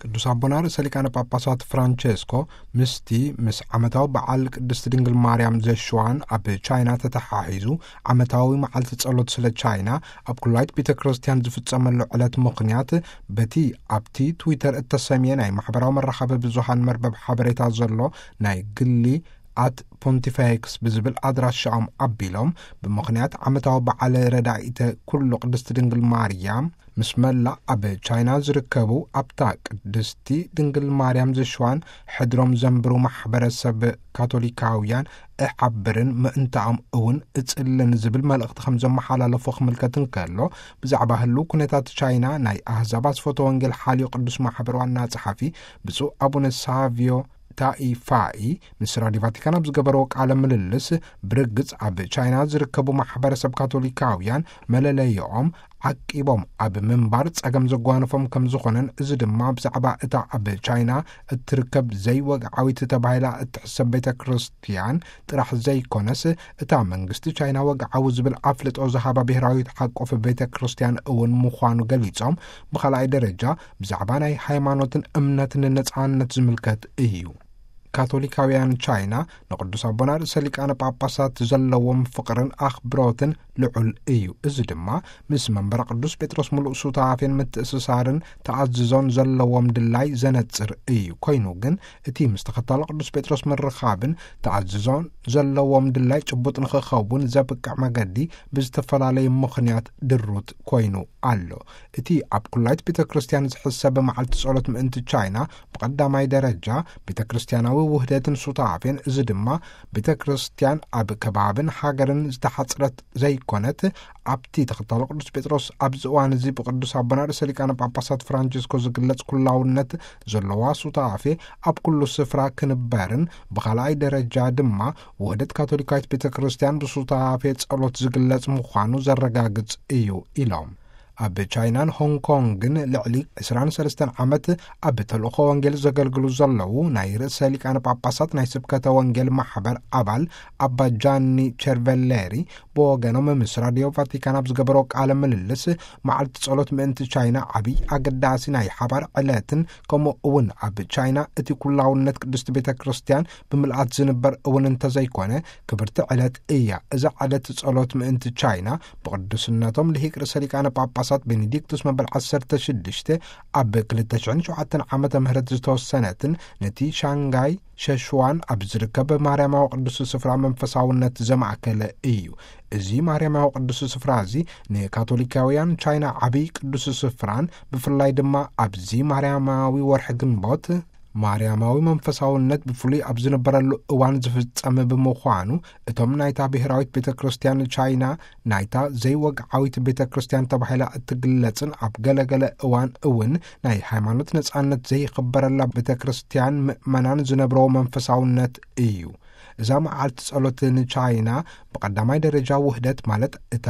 ቅዱስ ኣቦና ርእሰ ሊቃነ ጳጳሳት ፍራንቸስኮ ምስቲ ምስ ዓመታዊ በዓል ቅድስት ድንግል ማርያም ዘሽዋን ኣብ ቻይና ተተሓሒዙ ዓመታዊ መዓልቲ ጸሎት ስለ ቻይና ኣብ ኩላይት ቤተ ክርስቲያን ዝፍጸመሉ ዕለት ምኽንያት፣ በቲ ኣብቲ ትዊተር እተሰምየ ናይ ማሕበራዊ መራኸቢ ብዙሃን መርበብ ሓበሬታ ዘሎ ናይ ግሊ ኣት ፖንቲፌክስ ብዝብል ኣድራሻኦም ኣቢሎም፣ ብምኽንያት ዓመታዊ በዓል ረዳኢተ ኩሉ ቅድስት ድንግል ማርያም ምስ መላእ ኣብ ቻይና ዝርከቡ ኣብታ ቅድስቲ ድንግል ማርያም ዝሽዋን ሕድሮም ዘንብሩ ማሕበረሰብ ካቶሊካውያን እሓብርን ምእንታኦም እውን እጽልን ዝብል መልእኽቲ ከም ዘመሓላለፉ ክምልከት እንከሎ፣ ብዛዕባ ህልው ኩነታት ቻይና ናይ ኣህዛብ ኣስፈቶ ወንጌል ሓልዮ ቅዱስ ማሕበር ዋና ጸሓፊ ብፁዕ ኣቡነ ሳቪዮ ታኢፋኢ ምስ ራዲዮ ቫቲካን ኣብ ዝገበረዎ ቃለ ምልልስ፣ ብርግጽ ኣብ ቻይና ዝርከቡ ማሕበረሰብ ካቶሊካውያን መለለይኦም ዓቂቦም ኣብ ምንባር ጸገም ዘጓነፎም ከም ዝኾነን፣ እዚ ድማ ብዛዕባ እታ ኣብ ቻይና እትርከብ ዘይወግዓዊት ተባሂላ እትሕሰብ ቤተ ክርስቲያን ጥራሕ ዘይኮነስ፣ እታ መንግስቲ ቻይና ወግዓዊ ዝብል ኣፍልጦ ዝሃባ ብሔራዊት ሓቆፍ ቤተ ክርስቲያን እውን ምዃኑ ገሊጾም፣ ብኻልኣይ ደረጃ ብዛዕባ ናይ ሃይማኖትን እምነትን ነጻነት ዝምልከት እዩ። ካቶሊካውያን ቻይና ንቅዱስ ኣቦና ርእሰ ሊቃነ ጳጳሳት ዘለዎም ፍቕርን ኣኽብሮትን ልዑል እዩ። እዚ ድማ ምስ መንበረ ቅዱስ ጴጥሮስ ምሉእ ሱታፌን ምትእስሳርን ተኣዝዞን ዘለዎም ድላይ ዘነጽር እዩ። ኮይኑ ግን፣ እቲ ምስ ተኸታሊ ቅዱስ ጴጥሮስ ምርኻብን ተኣዝዞን ዘለዎም ድላይ ጭቡጥ ንኽኸውን ዘብቅዕ መገዲ ብዝተፈላለየ ምኽንያት ድሩት ኮይኑ ኣሎ። እቲ ኣብ ኩላይት ቤተ ክርስቲያን ዝሕሰብ መዓልቲ ጸሎት ምእንቲ ቻይና፣ ብቐዳማይ ደረጃ ቤተ ክርስቲያናዊ ውህደትን ሱታፌን፣ እዚ ድማ ቤተ ክርስቲያን ኣብ ከባብን ሃገርን ዝተሓጽረት ዘይኮነት፣ ኣብቲ ተኸታሎ ቅዱስ ጴጥሮስ ኣብዚ እዋን እዚ ብቅዱስ ኣቦና ርእሰ ሊቃነ ጳጳሳት ፍራንቸስኮ ዝግለጽ ኩላውነት ዘለዋ ሱታፌ ኣብ ኩሉ ስፍራ ክንበርን፣ ብኻልኣይ ደረጃ ድማ ውህደት ካቶሊካዊት ቤተ ክርስቲያን ብሱታፌ ጸሎት ዝግለጽ ምዃኑ ዘረጋግጽ እዩ ኢሎም። ኣብ ቻይናን ሆንግ ኮንግን ልዕሊ ዕስራን ሰለስተን ዓመት ኣብ ተልእኾ ወንጌል ዘገልግሉ ዘለዉ ናይ ርእሰ ሊቃነ ጳጳሳት ናይ ስብከተ ወንጌል ማሕበር ኣባል ኣባ ጃኒ ቸርቨሌሪ ብወገኖም ምስ ራዲዮ ቫቲካን ኣብ ዝገበሮ ቃለ ምልልስ፣ መዓልቲ ጸሎት ምእንቲ ቻይና ዓብይ ኣገዳሲ ናይ ሓባር ዕለትን፣ ከምኡ እውን ኣብ ቻይና እቲ ኩላውነት ቅድስቲ ቤተ ክርስቲያን ብምልኣት ዝንበር እውን እንተዘይኮነ ክብርቲ ዕለት እያ። እዛ ዕለት ጸሎት ምእንቲ ቻይና ብቅዱስነቶም ልሂቅ ርእሰ ሊቃነ ጳጳሳት ቤኔዲክቱስ መበል ዓሰርተ ሽዱሽተ ኣብ ክልተ ሽሕን ሸውዓተን ዓመተ ምህረት ዝተወሰነትን፣ ነቲ ሻንጋይ ሸሽዋን ኣብ ዝርከብ ማርያማዊ ቅዱስ ስፍራ መንፈሳውነት ዘማእከለ እዩ። እዚ ማርያማዊ ቅዱስ ስፍራ እዚ ንካቶሊካውያን ቻይና ዓብይ ቅዱስ ስፍራን፣ ብፍላይ ድማ ኣብዚ ማርያማዊ ወርሒ ግንቦት ማርያማዊ መንፈሳውነት ብፍሉይ ኣብ ዝነበረሉ እዋን ዝፍጸም ብምዃኑ፣ እቶም ናይታ ብሔራዊት ቤተ ክርስቲያን ቻይና፣ ናይታ ዘይወግዓዊት ቤተ ክርስቲያን ተባሂላ እትግለጽን ኣብ ገለገለ እዋን እውን ናይ ሃይማኖት ነጻነት ዘይኽበረላ ቤተ ክርስቲያን ምእመናን ዝነብረዎ መንፈሳውነት እዩ። እዛ መዓልቲ ጸሎት ንቻይና ብቐዳማይ ደረጃ ውህደት፣ ማለት እታ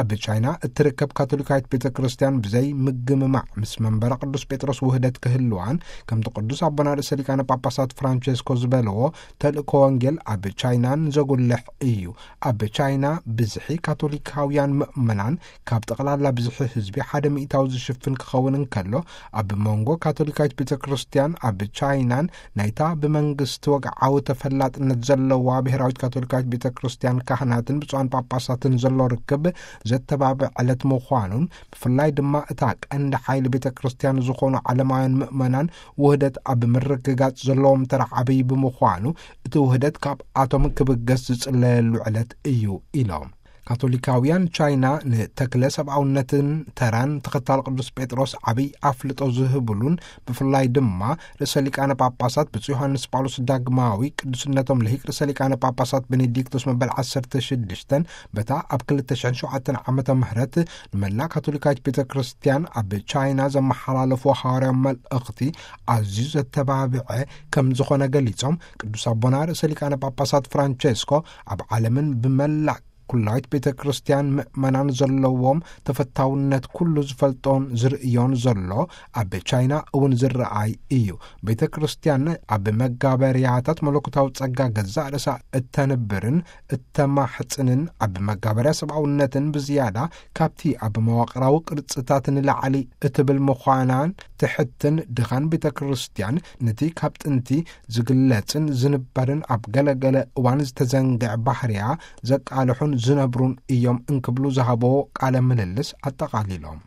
ኣብ ቻይና እትርከብ ካቶሊካዊት ቤተ ክርስቲያን ብዘይ ምግምማዕ ምስ መንበረ ቅዱስ ጴጥሮስ ውህደት ክህልዋን፣ ከምቲ ቅዱስ ኣቦና ርእሰ ሊቃነ ጳጳሳት ፍራንቸስኮ ዝበለዎ፣ ተልእኮ ወንጌል ኣብ ቻይናን ዘጉልሕ እዩ። ኣብ ቻይና ብዝሒ ካቶሊካውያን ምእመናን ካብ ጠቕላላ ብዝሒ ህዝቢ ሓደ ሚእታዊ ዝሽፍን ክኸውን እንከሎ፣ ኣብ መንጎ ካቶሊካዊት ቤተ ክርስቲያን ኣብ ቻይናን ናይታ ብመንግስቲ ወግዓዊ ተፈላጥነት ዘለዋ ብሔራዊት ካቶሊካዊት ቤተ ክርስቲያን ካህናትን ብፁዓን ጳጳሳትን ዘሎ ርክብ ዘተባብዕ ዕለት ምዃኑን፣ ብፍላይ ድማ እታ ቀንዲ ሓይሊ ቤተ ክርስቲያን ዝኾኑ ዓለማውያን ምእመናን ውህደት ኣብ ምርግጋጽ ዘለዎም ተራ ዓብዪ ብምዃኑ፣ እቲ ውህደት ካብኣቶም ክብገስ ዝጽለየሉ ዕለት እዩ ኢሎም። ካቶሊካውያን ቻይና ንተክለ ሰብኣውነትን ተራን ተኸታሊ ቅዱስ ጴጥሮስ ዓብይ ኣፍልጦ ዝህብሉን፣ ብፍላይ ድማ ርእሰ ሊቃነ ጳጳሳት ብፁዕ ዮሃንስ ጳውሎስ ዳግማዊ ቅዱስነቶም ልሂቅ ርእሰ ሊቃነ ጳጳሳት ቤኔዲክቶስ መበል ዓሰርተ ሽዱሽተን በታ ኣብ ክልተ ሽሕን ሸውዓተን ዓመተ ምህረት ንመላእ ካቶሊካዊት ቤተ ክርስቲያን ኣብ ቻይና ዘመሓላለፍዎ ሃዋርያዊ መልእኽቲ ኣዝዩ ዘተባብዐ ከም ዝኾነ ገሊጾም፣ ቅዱስ ኣቦና ርእሰ ሊቃነ ጳጳሳት ፍራንቸስኮ ኣብ ዓለምን ብመላእ ኩላዊት ቤተ ክርስቲያን ምእመናን ዘለዎም ተፈታውነት ኩሉ ዝፈልጦን ዝርእዮን ዘሎ ኣብ ቻይና እውን ዝረኣይ እዩ። ቤተ ክርስቲያን ኣብ መጋበርያታት መለኮታዊ ጸጋ ገዛእ ርእሳ እተንብርን እተማሕጽንን ኣብ መጋበርያ ሰብኣውነትን ብዝያዳ ካብቲ ኣብ መዋቕራዊ ቅርጽታት ንላዕሊ እትብል ምዃናን ትሕትን ድኻን ቤተ ክርስቲያን ነቲ ካብ ጥንቲ ዝግለጽን ዝንበርን ኣብ ገለገለ እዋን ዝተዘንግዐ ባህርያ ዘቃልሑን ዝነብሩን እዮም እንክብሉ ዝሃቦ ቃለ ምልልስ ኣጠቓሊሎም።